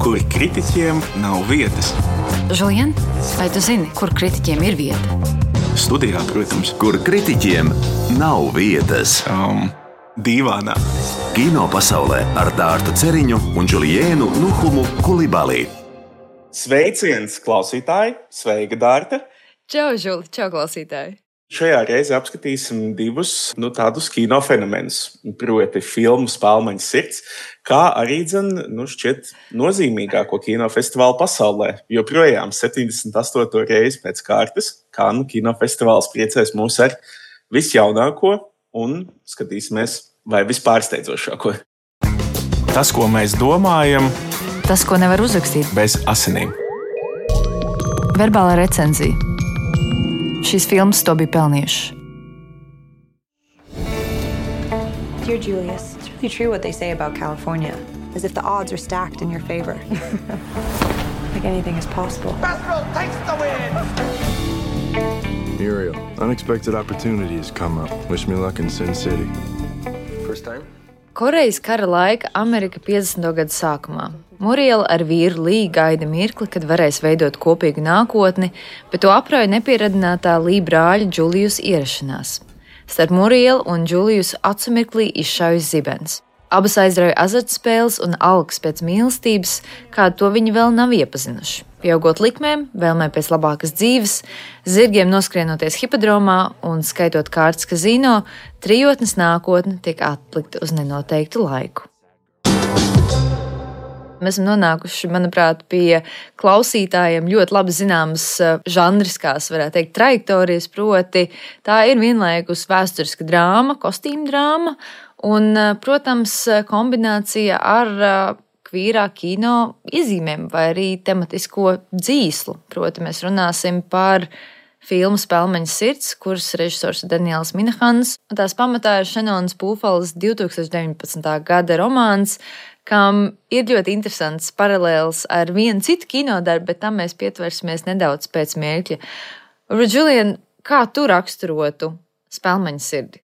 kur kritiķiem nav vietas. Žulien, vai tu zini, kur kritiķiem ir vieta? Studijā, protams. Kur kritiķiem nav vietas. Dīvānā. Kino pasaulē ar Dārtu Ceriņu un Džuliēnu Nuhumu Kulibalī. Sveiciens, klausītāji! Sveika, Dārta! Čau, Žuli! Čau, klausītāji! Šajā reizē apskatīsim divus tādus kino fenomenus, proti filmu Spēlmaņa sirds, kā arī šķiet nozīmīgāko kinofestivālu pasaulē. Joprojām 78. reizi pēc kārtas Kannu kinofestivāls priecēs mūs ar visjaunāko un skatīsimies vai vispārsteidzošāko. Tas, ko mēs domājam, tas, ko nevar uzrakstīt bez asinīm. Verbālā recenzija. Šīs filmas to bija pelnījušas. Dear Julius, it's really true what they say about California, as if the odds are stacked in your favor. Like anything is possible. Festival takes the win! Muriel, unexpected opportunities come up. Wish me luck in Sin City. First time? Korejas kara laika Amerika 50. gadu sākumā. Muriela ar vīru Lī gaida mirkli, kad varēs veidot kopīgu nākotni, bet to aprauj nepieradinātā Lī brāļa Džulijus ierašanās. Starp Murielu un Džulijusu acu mirklī izšaujas zibens. Abas aizrauja azartspēles un algas pēc mīlestības, kādu to viņi vēl nav iepazinuši. Pieaugot likmēm, vēlmē pēc labākas dzīves, zirgiem noskrienoties hipodromā un skaitot kārtas kazino, trijotnes nākotne tiek atlikta uz nenoteiktu laiku. Mēs esam nonākuši, manuprāt, pie klausītājiem ļoti labi zināmas žanriskās, varētu teikt, trajektorijas, proti tā ir vienlaikus vēsturiska drāma, kostīma drāma un, protams, kombinācija ar kvīrā kino iezīmēm vai arī tematisko dzīslu. Proti mēs runāsim par filmu Spēlmaņa sirds, kuras režisors ir Daniels Minahans, un tās pamatā ir Šenonas Pūfalas 2019. gada romāns, kam ir ļoti interesants paralēls ar vienu citu kinodarbu, bet tam mēs pietversimies nedaudz pēc mirkļa. Žulien, kā tu raksturotu Spēlmaņa sirdi?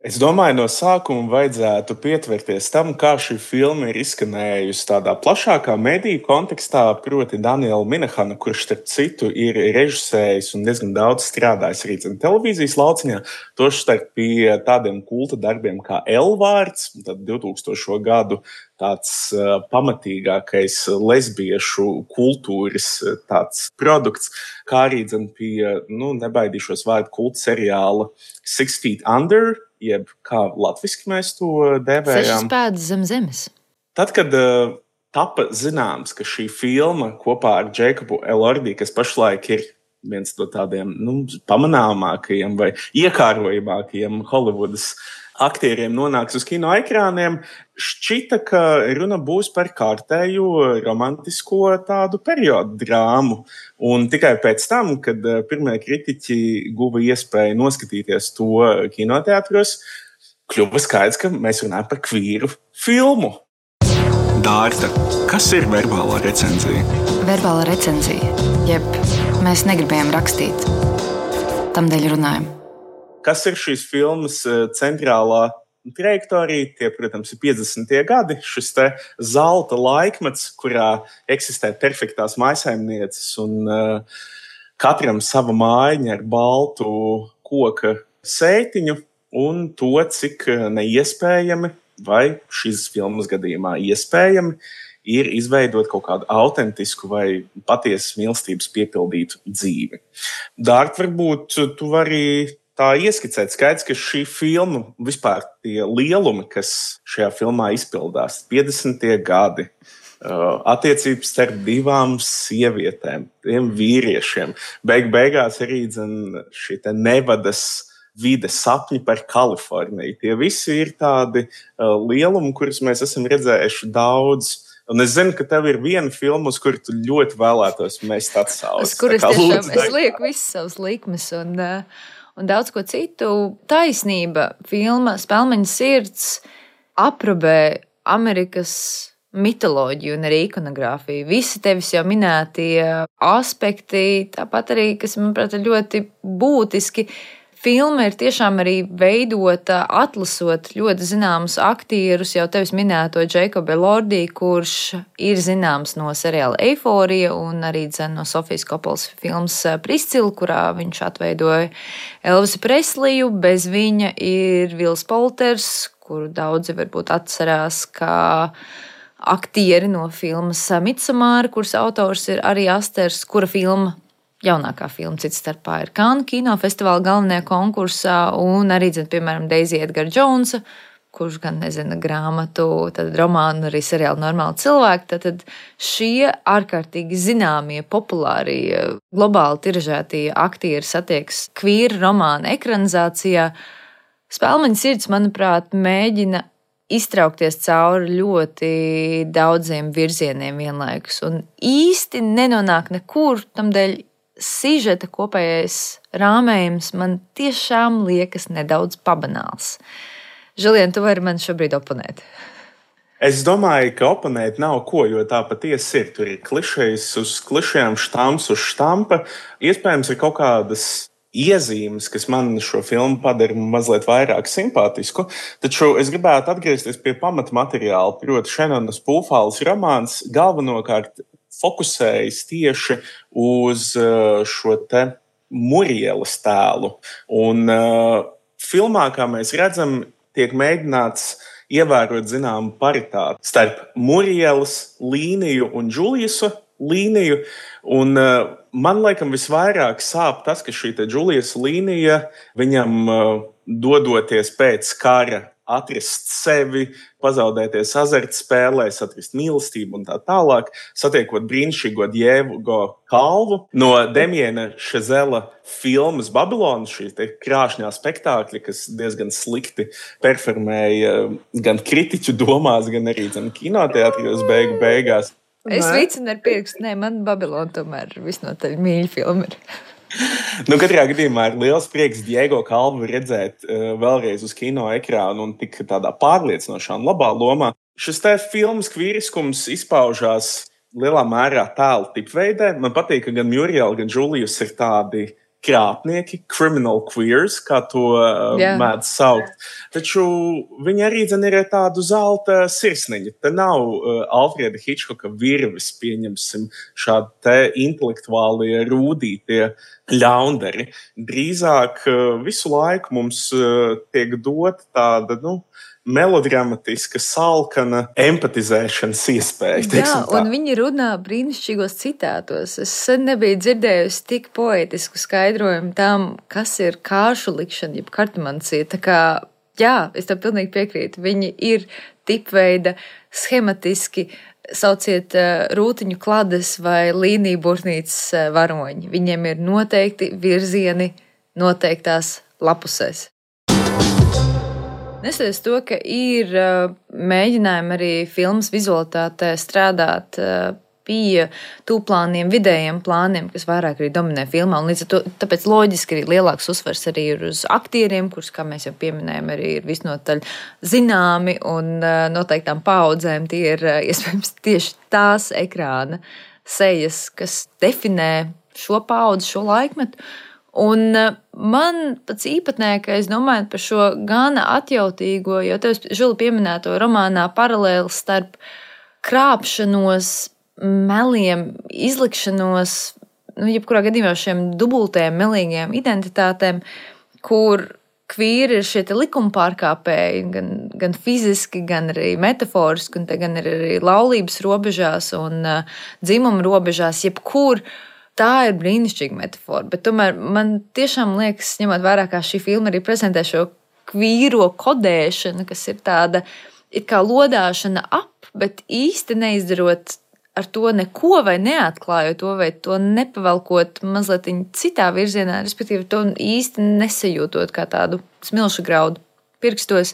Es domāju, no sākuma vajadzētu pietverties tam, kā šī filma ir izskanējusi tādā plašākā mediju kontekstā, proti Daniela Minahana, kurš, starp citu, ir režisējis un diezgan daudz strādājis arī televīzijas lauciņā, tostarp pie tādiem kulta darbiem kā L-vārds, tad 2000. gadu tāds pamatīgākais lesbiešu kultūras tāds produkts, kā arī pie, nebaidīšos vārdu kulta seriāla 6 Feet Under, jeb kā latviski mēs to dēvējām. 6 pēdas zem zemes. Tad, kad tapa zināms, ka šī filma kopā ar Džeikobu Elordi, kas pašlaik ir viens no tādiem pamanāmākajiem vai iekārojamākajiem Holivudas aktieriem nonāks uz kino ekrāniem, šķita, ka runa būs par kārtējo romantisko tādu periodu drāmu. Un tikai pēc tam, kad pirmie kritiķi guva iespēju noskatīties to kinoteātros, kļuva skaidrs, ka mēs runājam par kvīru filmu. Dārta, kas ir verbālā recenzija? Verbālā recenzija, jeb mēs negribējām rakstīt, tamdēļ runājam. Kas ir šīs filmas centrālā trajektorija? Tie, protams, ir 50. gadi, šis te zelta laikmets, kurā eksistē perfektās mājsaimnieces un katram sava mājiņa ar baltu koka sētiņu un to, cik neiespējami vai šīs filmas gadījumā iespējami ir izveidot kaut kādu autentisku vai patiesas mīlestības piepildītu dzīvi. Dārt, varbūt tu vari tā ieskicēt. Skaidrs, ka šī filma, vispār tie lielumi, kas šajā filmā izpildās, 50. gadi, attiecības starp divām sievietēm, tiem vīriešiem, beigās arī šī te Nevadas vide, sapņi par Kaliforniju. Tie visi ir tādi lielumi, kurus mēs esam redzējuši daudz. Un es zinu, ka tev ir viena filma, uz kuru tu ļoti vēlētos mest atsauci. Uz kuras tiešām es lieku visas savas likmes un daudz ko citu. Taisnība, filma Spēlmaņa sirds aprobē Amerikas mitoloģiju un arī ikonogrāfiju. Visi tevis jau minētie aspekti, tāpat arī, kas, manuprāt, ir ļoti būtiski. filma ir tiešām arī veidota atlasot ļoti zināmus aktierus, jau tevis minēto Jacobu Elordi, kurš ir zināms no seriāla Eiforija un arī no Sofijas Koppolas filmas Priscila, kurā viņš atveidoja Elvisu Presliju. Bez viņa ir Vils Polters, kuru daudzi varbūt atcerās kā aktieri no filmas Midsommar, kuras autors ir arī Asters, kura filma, jaunākā filma cits starpā, ir Cannes kinofestivāla galvenajā konkursā, un arī, piemēram, Daisy Edgar Jonesa, kurš gan nezina grāmatu, tad romānu, arī seriālu Normāli cilvēki. Tad šie ārkārtīgi zināmie, populārie, globāli tiražētie aktieri satiekas kvīra romāna ekranizācijā. Spēlmaņa sirds, manuprāt, mēģina iztraukties cauri ļoti daudziem virzieniem vienlaikus un īsti nenonāk nekur, tamdēļ sižeta kopējais rāmējums man tiešām liekas nedaudz pabanāls. Žilien, tu vari man šobrīd oponēt? Es domāju, ka oponēt nav ko, jo tā patiesi ir. Tur ir klišejas uz klišejām, štamps uz štampa. Iespējams, ir kaut kādas iezīmes, kas man šo filmu padara mazliet vairāk simpātisku, taču es gribētu atgriezties pie pamatmateriāla, proti Šenonas Pūfāles romāns galvenokārt fokusējas tieši uz šo te Murielas tēlu. Un filmā, kā mēs redzam, tiek mēģināts ievērot zināmu paritāti starp Murielas līniju un Džuliusa līniju. Un man laikam visvairāk sāp tas, ka šī Džuliusa līnija viņam dodoties pēc kara atrast sevi, pazaudēties azartspēlēs, atrast mīlestību un tā tālāk, satiekot brīnišķīgo Diego Kalvu no Demiena Šezela filmas Babilona, šī krāšņā spektākļa, kas diezgan slikti performēja gan kritiķu domās, gan arī kinoteātrijos beigās. Es vicinu ar pirkstu, man Babilona tomēr visnotaļ mīļa filma ir. Katrā gadījumā ir liels prieks Diego Kalvu redzēt vēlreiz uz kino ekrānu un tik tādā pārliecinošā un labā lomā. Šis te filmas kvīriskums izpaužās lielā mērā tēlu tipveidē. Man patīk, ka gan Muriel, gan Julius ir tādi krāpnieki, criminal queers, kā to mēdz saukt. Taču viņi arī ir tādu zelta sirsniņu. Te nav Alfreda Hitchcocka virvis, pieņemsim, šādi te intelektuālie rūdītie ļaundari. Drīzāk visu laiku mums tiek dot tāda, melodramatiska, salkana empatizēšanas iespēja. Jā, un viņi runā brīnišķīgos citātos. Es sen nebiju dzirdējusi tik poetisku skaidrojumu tam, kas ir kāršu likšana, jeb kartomancija. Tā kā, jā, es tam pilnīgi piekrītu. Viņi ir tipveida, schematiski, sauciet rūtiņu klades vai līniju burtnīcas varoņi. Viņiem ir noteikti virzieni noteiktās lapusēs. Neskatoties to, ka ir mēģinājumi arī filmas vizualitātē strādāt pie tūplāniem, vidējiem plāniem, kas vairāk arī dominē filmā, un līdz ar to tāpēc loģiski arī lielāks uzsvars arī ir uz aktieriem, kurus, kā mēs jau pieminējam, arī ir visnotaļ zināmi un noteiktām paudzēm. Tie ir iespējams tieši tās ekrāna sejas, kas definē šo paudzi, šo laikmetu. Un man pats īpatnēkais, domājot par šo gana atjautīgo, jo tev Žili pieminēto romānā paralēli starp krāpšanos, meliem, izlikšanos, jebkurā gadījumā šiem dubultajiem, melīgajiem identitātēm, kur kvīri ir šie likuma pārkāpēji, gan fiziski, gan arī metaforiski, un te gan ir arī laulības robežās un dzimuma robežās, jebkur. Tā ir brīnišķīga metafora, bet tomēr man tiešām liekas, ņemot vērā, kā šī filma arī prezentē šo kvīro kodēšanu, kas ir tāda it kā lodāšana ap, bet īsti neizdarot ar to neko vai neatklājot to, vai to nepavalkot mazliet citā virzienā, respektīvi to īsti nesajūtot kā tādu smilšu graudu pirkstos.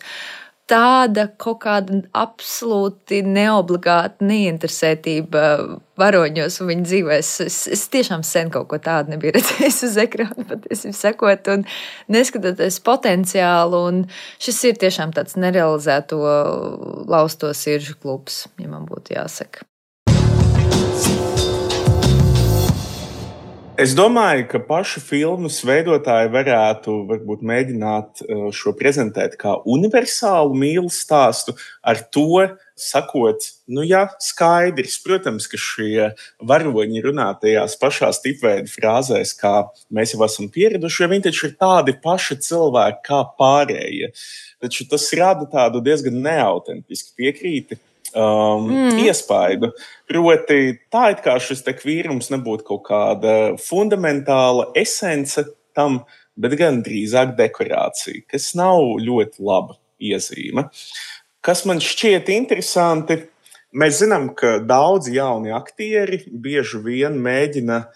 Tāda kaut kāda absolūti neobligāta neinteresētība varoņos un viņu dzīvēs. Es tiešām sen kaut ko tādu nebiju redzējis uz ekrāna, patiesībā sakot, un neskatoties potenciālu, un šis ir tiešām tāds nerealizēto lausto siržu klubs, ja man būtu jāsaka. Es domāju, ka paši filmas veidotāji varētu varbūt mēģināt šo prezentēt kā universālu mīlestības stāstu, ar to sakot, skaidrs, protams, ka šie varoņi runā tajās pašās tipveida frāzēs, kā mēs jau esam pieraduši, jo viņi taču ir tādi paši cilvēki kā pārējie. Taču tas rada tādu diezgan neautentisku piekrīti. Iespaidu. Proti, tā it kā šis te kvīrums nebūtu kaut kāda fundamentāla esence tam, bet gan drīzāk dekorācija, kas nav ļoti laba iezīme. Kas man šķiet interesanti, mēs zinām, ka daudzi jauni aktieri bieži vien mēģina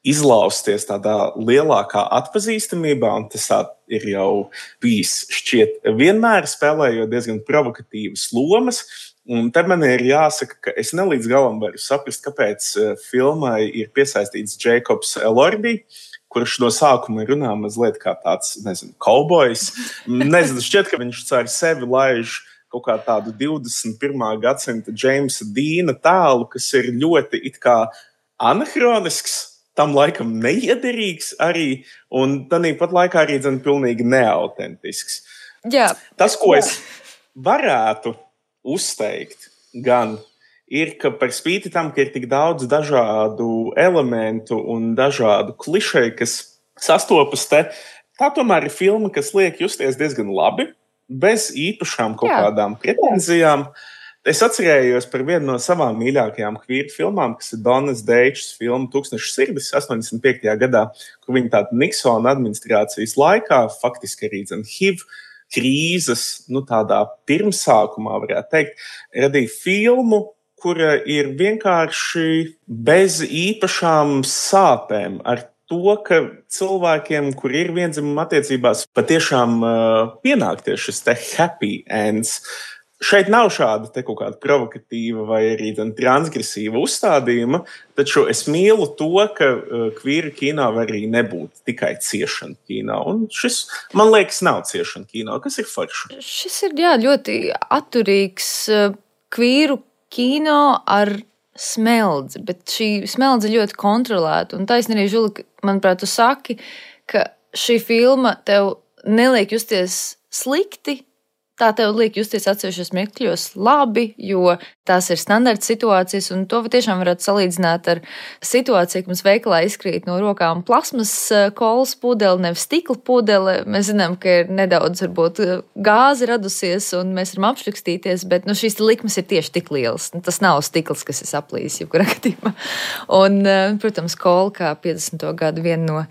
izlausties tādā lielākā atpazīstamībā, un tas ir jau bijis šķiet vienmēr spēlējot diezgan provokatīvas lomas. Un te man ir jāsaka, ka es ne līdz galam varu saprast, kāpēc filmai ir piesaistīts Jacobs Elordi, kurš no sākuma runā mazliet kā tāds, kaubojs. Šķiet, ka viņš ar sevi laiž kaut kā tādu 21. gadsimta Jamesa Deana tēlu, kas ir ļoti it kā anahronisks, tam laikam neiederīgs arī, un tāpat laikā arī pilnīgi neautentisks. Jā. Tas, ko es varētu uzteikt, gan ir, ka par spīti tam, ka ir tik daudz dažādu elementu un dažādu klišeju, kas sastopas te, tā tomēr ir filma, kas liek justies diezgan labi, bez īpašām kaut kādām pretenzijām. Es atcerējos par vienu no savām mīļākajām kvīru filmām, kas ir Donas Deičs filma Tūkstneša sirdis 85. gadā, kur viņa tāda Niksona administrācijas laikā, faktiski arī HIV krīzes, tādā pirmsākumā, varētu teikt, radīja filmu, kura ir vienkārši bez īpašām sāpēm, ar to, ka cilvēkiem, kur ir vienzimuma attiecībās, patiešām pienāk tieši šis te happy ends. Šeit nav šāda kaut kāda provokatīva vai arī transgresīva uzstādījuma, taču es mīlu to, ka kvīra kino var arī nebūt tikai ciešana kino. Un šis, man liekas, nav ciešana kino. Kas ir forši? Šis ir ļoti atturīgs kvīru kino ar smeldzi, bet šī smeldze ļoti kontrolēta. Un taisnība arī, Žuli, manuprāt, tu saki, ka šī filma tev neliek justies slikti, tā tev liek justies atsevišķos mirkļos labi, jo tās ir standarta situācijas, un to tiešām varētu salīdzināt ar situāciju, ka mums veikalā izkrīt no rokām plasmas kolas pudele, nevis stikla pudele. Mēs zinām, ka ir nedaudz varbūt gāze radusies, un mēs varam apšrikstīties, bet šīs likmes ir tieši tik lielas. Tas nav stikls, kas ir saplījis jebkurā gadījumā. Un, protams, kola kā 50. gadu viena no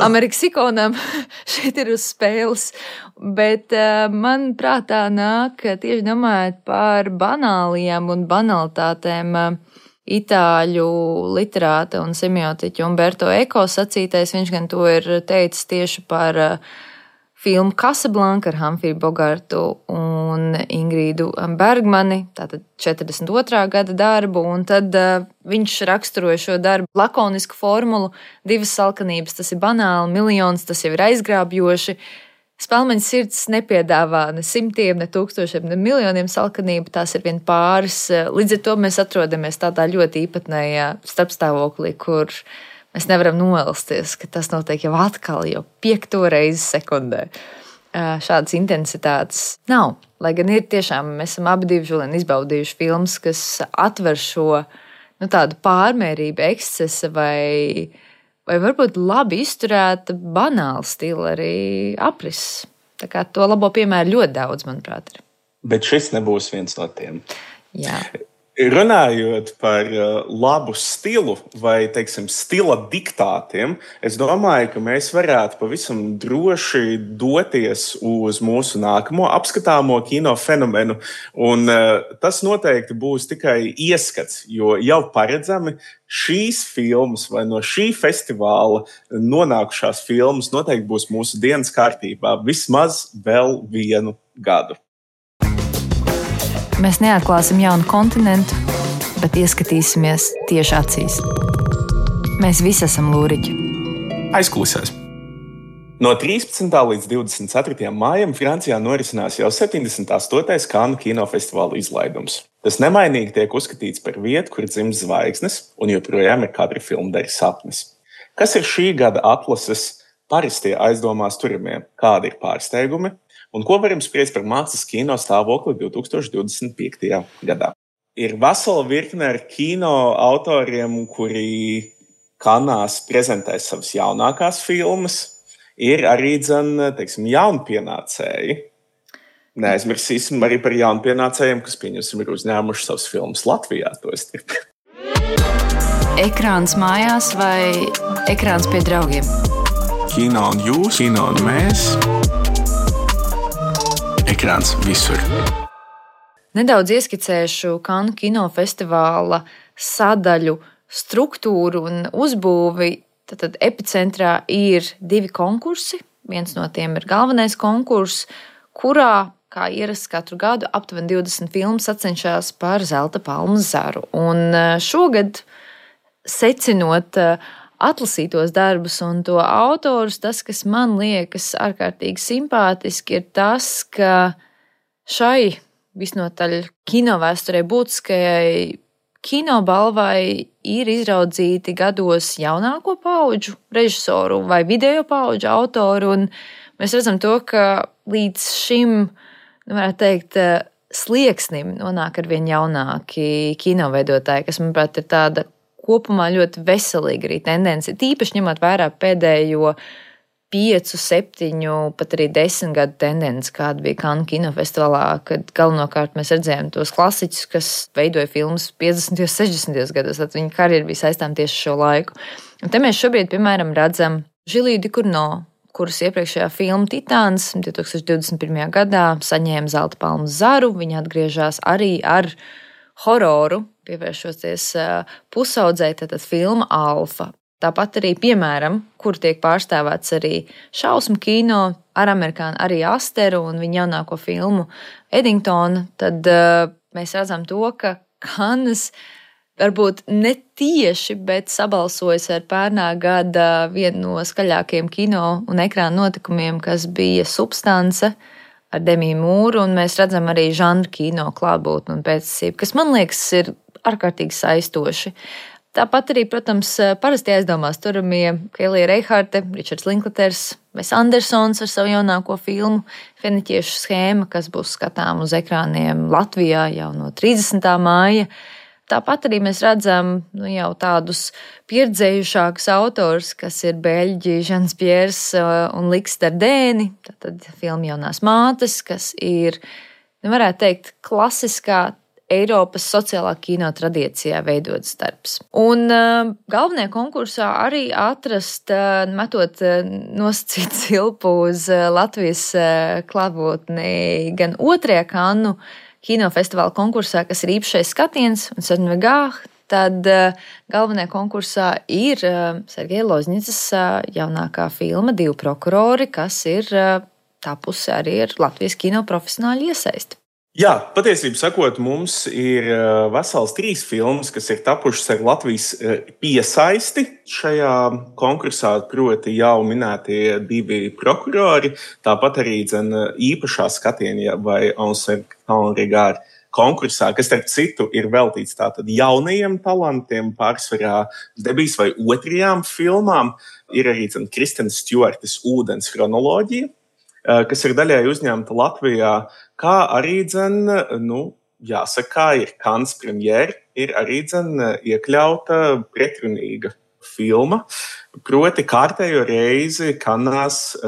Amerikas ikonām šeit ir uz spēles. Bet man prātā nāk tieši domājot par banālijām un banalitātēm itāļu literāta un semiotiķa Umberto Eco sacītais. Viņš gan to ir teicis tieši par filmu Casablanca ar Humphrey Bogartu un Ingridu Bergmani, tātad 42. gada darbu, un tad viņš raksturoja šo darbu lakonisku formulu, 2 salkanības, tas ir banāli, miljons, tas jau ir aizgrābjoši. Spēlmeņa sirds nepiedāvā ne simtiem, ne tūkstošiem, ne miljoniem salkanību, tās ir vien pāris. Līdz ar to mēs atrodamies tādā ļoti īpatnējā starpstāvoklī, kur mēs nevaram noelsties, ka tas notiek jau atkal, jau 5. reizi sekundē. Šādas intensitātes nav. Lai gan ir tiešām, mēs esam abi divi Žulien izbaudījuši filmas, kas atver šo tādu pārmērību, ekscesa vai varbūt labi izturēta banāla stila arī aprises. Tā kā to labo piemēru ļoti daudz, manuprāt, ir. Bet šis nebūs viens no tiem. Jā. Runājot par labu stilu vai, stila diktātiem, es domāju, ka mēs varētu pavisam droši doties uz mūsu nākamo apskatāmo kino fenomenu, un tas noteikti būs tikai ieskats, jo jau paredzami šīs filmas vai no šī festivāla nonākušās filmas noteikti būs mūsu dienas kārtībā vismaz vēl 1 gadu. Mēs neatklāsim jaunu kontinentu, bet ieskatīsimies tieši acīs. Mēs visi esam lūriķi. Aizklausās. No 13. līdz 24. maijam Francijā norisinās jau 78. Kannu kinofestivāla izlaidums. Tas nemainīgi tiek uzskatīts par vietu, kur dzimst zvaigznes, un joprojām ir katra filma dara sapnis. Kas ir šī gada atlases parastie aizdomās turamie? Kādi ir pārsteigumi? Un ko varam spriest par mākslas kino stāvokli 2025. gadā? Ir vesela virkne ar kino autoriem, kuri Kanās prezentē savas jaunākās filmas. Ir arī, teiksim, jaunpienācēji. Neaizmirsīsim arī par jaunpienācējiem, kas, pieņemsim, ir uzņēmuši savas filmas Latvijā. Ekrāns mājās vai ekrāns pie draugiem? Kino un jūs, kino un mēs. Ekrāns visur. Nedaudz ieskicēšu Kannu kinofestivāla sadaļu struktūru un uzbūvi. Tad epicentrā ir 2 konkursi. Viens no tiem ir galvenais konkurss, kurā, kā ierasts katru gadu, aptuveni 20 filmas sacenšas par Zelta palmas zaru. Un šogad, secinot atlasītos darbus un to autorus, tas, kas man liekas ārkārtīgi simpātiski, ir tas, ka šai visnotaļ kinovēsturē būtiskajai kinobalvai ir izraudzīti gados jaunāko paudžu režisoru vai video paudžu autoru, un mēs redzam to, ka līdz šim, varētu teikt, slieksnim nonāk arvien jaunāki kinoveidotāji, kas, manuprāt, ir tāda kopumā ļoti veselīga arī tendence, tīpaši ņemot vērā pēdējo 5, 7, pat arī 10 gadu tendenci, kāda bija Kannu kinofestivālā, kad galvenokārt mēs redzējām tos klasiķus, kas veidoja filmas 50. un 60. gados, tad viņa karjera bija saistām tieši šo laiku. Un te mēs šobrīd, piemēram, redzam Žiliju Dikurno, kuras iepriekšējā filma Titāns 2021. gadā saņēma Zelta palmas zaru. Viņa atgriežas arī ar hororu, pievēršoties pusaudzei, tātad filma Alfa. Tāpat arī, piemēram, kur tiek pārstāvēts arī šausmu kino ar amerikāņu, arī Asteru un viņa jaunāko filmu Eddingtonu, tad mēs redzam to, ka Kannas varbūt ne tieši, bet sabalsojas ar pērnā gada vienu no skaļākajiem kino un ekrāna notikumiem, kas bija Substance ar Demiju Mūru, un mēs redzam arī žanru kino klātbūtni un pēctecību, kas, man liekas, ir ārkārtīgi saistoši. Tāpat arī, protams, parasti aizdomās turamie Kelija Reiharte, Ričards Linklaters, Wes Andersons ar savu jaunāko filmu Feniķiešu schēma, kas būs skatām uz ekrāniem Latvijā jau no 30. māja. Tāpat arī mēs redzam jau tādus pieredzējušākus autors, kas ir beļģi Žans Pjērs un Liks Dardēni, tātad filma Jaunās mātes, kas ir, varētu teikt, klasiskā Eiropas sociālā kino tradīcijā veidots darbs. Un galvenajā konkursā arī atrast, metot nosacīt cilpu uz Latvijas klātbūtni gan 2. Kannu kinofestivāla konkursā, kas ir īpašais skatiens un Sarnvegāh, tad galvenajā konkursā ir Sergeja Lozņicas jaunākā filma 2 prokurori, kas ir tapusi arī ar Latvijas kino profesionāļu iesaisti. Jā, patiesībā sakot, mums ir vesels 3 filmas, kas ir tapušas ar Latvijas piesaisti šajā konkursā, proti jau minētie 2 prokurori, tāpat arī īpašā skatienā vai Ensemble konkursā, kas, starp citu, ir veltīts tātad jaunajiem talantiem, pārsvarā debijas vai 2. filmām. Ir arī Kristenes Stjuartes Ūdens chronoloģija, kas ir daļai uzņemta Latvijā, kā arī, jāsaka, ir Kannas premjera, ir arī iekļauta pretrunīga filma. Proti kārtējo reizi Kannās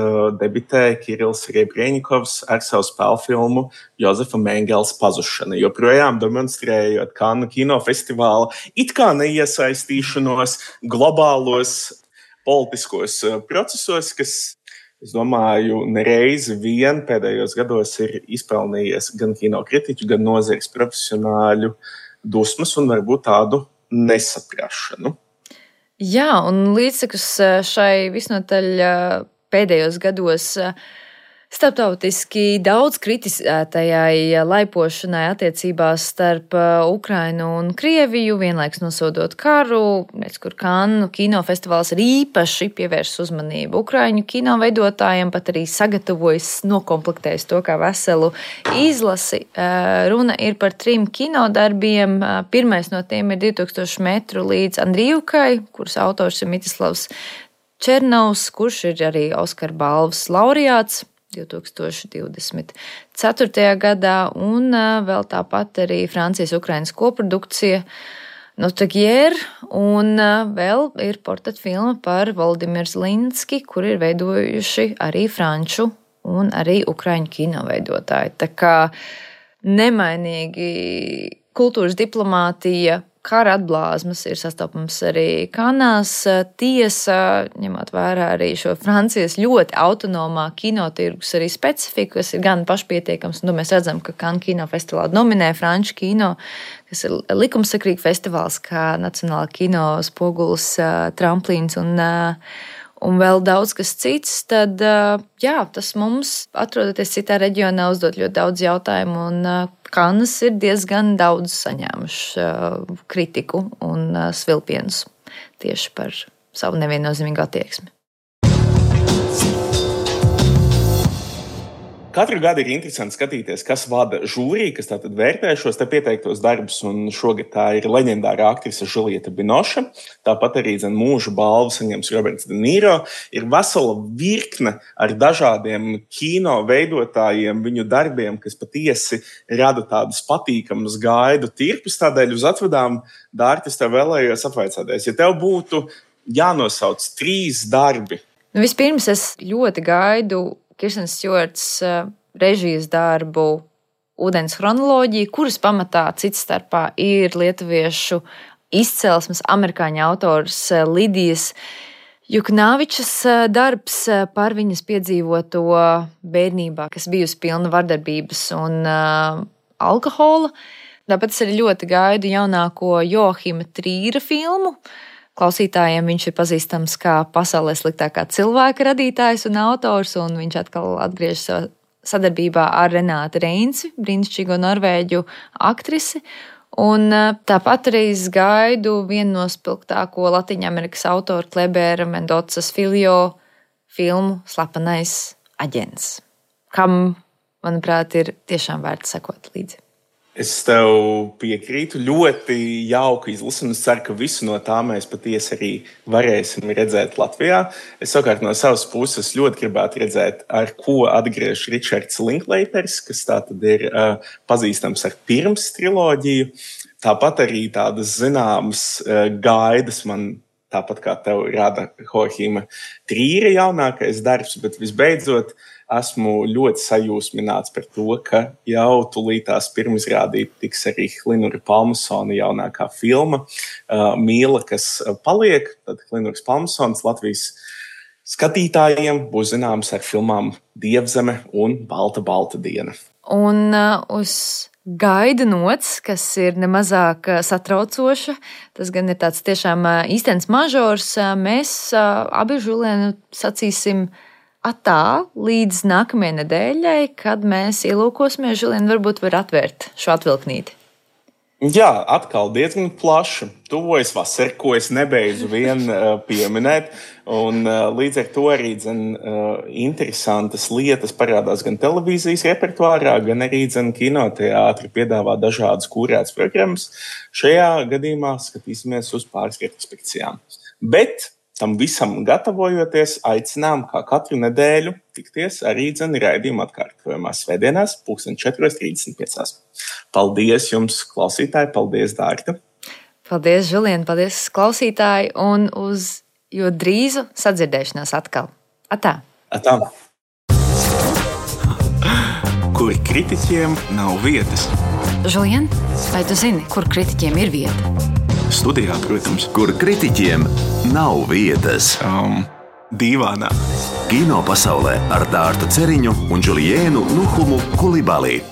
debitēja Kirills Rebreņikovs ar savu spēlfilmu Jozefa Mengels Pazušana, joprojām demonstrējot Kannu kinofestivāla it kā neiesaistīšanos globālos politiskos procesos, kas, es domāju, nereizi vien pēdējos gados ir izpelnījies gan kinokritiķu, gan nozares profesionāļu dusmas un varbūt tādu nesaprašanu. Jā, un līdzsakus šai visnotaļ pēdējos gados starptautiski daudz kritizētajai laipošanai attiecībās starp Ukrainu un Krieviju, vienlaiks nosodot karu, kur Kannu kinofestivāls ir īpaši pievērsis uzmanību Ukraiņu kino veidotājiem, pat arī sagatavojis, nokomplektējis to kā veselu izlasi. Runa ir par 3 kinodarbiem. Pirmais no tiem ir 2000 metru līdz Andrijivkai, kuras autors ir Mitislavs Černovs, kurš ir arī Oskara balvas laureāts 2024. gadā, un vēl tāpat arī Francijas-Ukrainas koprodukcija Notagier, un vēl ir portretfilma par Volodimiru Zelenski, kur ir veidojuši arī franču un arī ukraiņu kino veidotāji. Tā kā nemainīgi kultūras diplomātija, kara atblāzmas ir sastopams arī Kanās. Tiesa, ņemot vērā arī šo Francijas ļoti autonomā kinotirgus arī specifiku, kas ir gan pašpietiekams, un mēs redzam, ka Cannes kinofestivālā nominē franču kino, kas ir likumsakrīgi festivāls, kā Nacionālā kino spogulis, tramplīns un vēl daudz kas cits, tad jā, tas mums, atrodoties citā reģionā, uzdot ļoti daudz jautājumu, un Kannas ir diezgan daudz saņēmuši kritiku un svilpienus tieši par savu neviennozīmīgu attieksmi. Katru gadu ir interesanti skatīties, kas vada žūriju, kas tātad vērtē šos te pieteiktos darbus, un šogad tā ir leģendārā aktrise Julieta Binoche. Tāpat arī mūža balvu saņems Roberts De Niro. Ir vesela virkne ar dažādiem kino veidotājiem, viņu darbiem, kas patiesi rada tādus patīkamus gaidu tirpus. Tādēļ uz atvedām, Dārta, es tev vēlējos apvaicāties, ja tev būtu jānosauc 3 darbi. Vispirms es ļoti gaidu Kirstens Stjuarts režijas darbu Ūdens chronoloģija, kuras pamatā cits starpā ir lietuviešu izcelsmes amerikāņu autors Lidijas Juknavičas darbs par viņas piedzīvoto bērnībā, kas bijusi pilna vardarbības un alkohola. Tāpēc es arī ļoti gaidu jaunāko Joahima Trīra filmu. Klausītājiem viņš ir pazīstams kā pasaulē sliktākā cilvēka radītājs un autors, un viņš atkal atgriežas sadarbībā ar Renāti Reinsi, brīnišķīgo norvēģu aktrisi. Un tāpat arī es gaidu vienu no spilgtāko Latīņamerikas autoru Klebera Mendocas Filio filmu Slepenais aģents, kam, manuprāt, ir tiešām vērts sekot līdzi. Es tev piekrītu, ļoti jauka izlase, un es ceru, ka visu no tā mēs patiesi arī varēsim redzēt Latvijā. Es savukārt no savas puses ļoti gribētu redzēt, ar ko atgriež Ričards Linklaters, kas tātad ir pazīstams ar Pirms triloģiju. Tāpat arī tādas zināmas gaidas man, tāpat kā tev rada Joahima Trīra jaunākais darbs, bet visbeidzot esmu ļoti sajūsmināts par to, ka jau tūlītās pirmizrādīt tiks arī Hlinura Palmasona jaunākā filma Mīla, kas paliek. Tad Hlinuras Palmasons Latvijas skatītājiem būs zināms ar filmām Dievzeme un Balta diena. Un uz gaida nots, kas ir nemazāk satraucoša, tas gan ir tāds tiešām īstenis mažors, mēs abi Žulienu sacīsim atā līdz nākamajai nedēļai, kad mēs ielūkosimies. Žulien, varbūt var atvērt šo atvilknīti. Jā, atkal diezgan plaša. Tuvojas vasara, ko es nebeidzu vien pieminēt. Un līdz ar to arī interesantas lietas parādās gan televīzijas repertuārā, gan arī kinoteātri piedāvā dažādas kurētas programmas. Šajā gadījumā skatīsimies uz pāris retrospekcijām. Bet tam visam gatavojoties, aicinām kā katru nedēļu tikties arī raidījuma atkārtojumā svētdienās 4:35. Paldies jums, klausītāji, paldies, Dārta. Paldies, Žulien, paldies, klausītāji, un uz jo drīzu sadzirdēšanās atkal. Atā. Atā. Kur kritiķiem nav vietas. Žulien, vai tu zini, kur kritiķiem ir vieta? Studijā, protams. Kur kritiķiem nav vietas. Dīvānā. Kino pasaulē ar Dārtu Ceriņu un Juliēnu Nuhumu Kulibalī.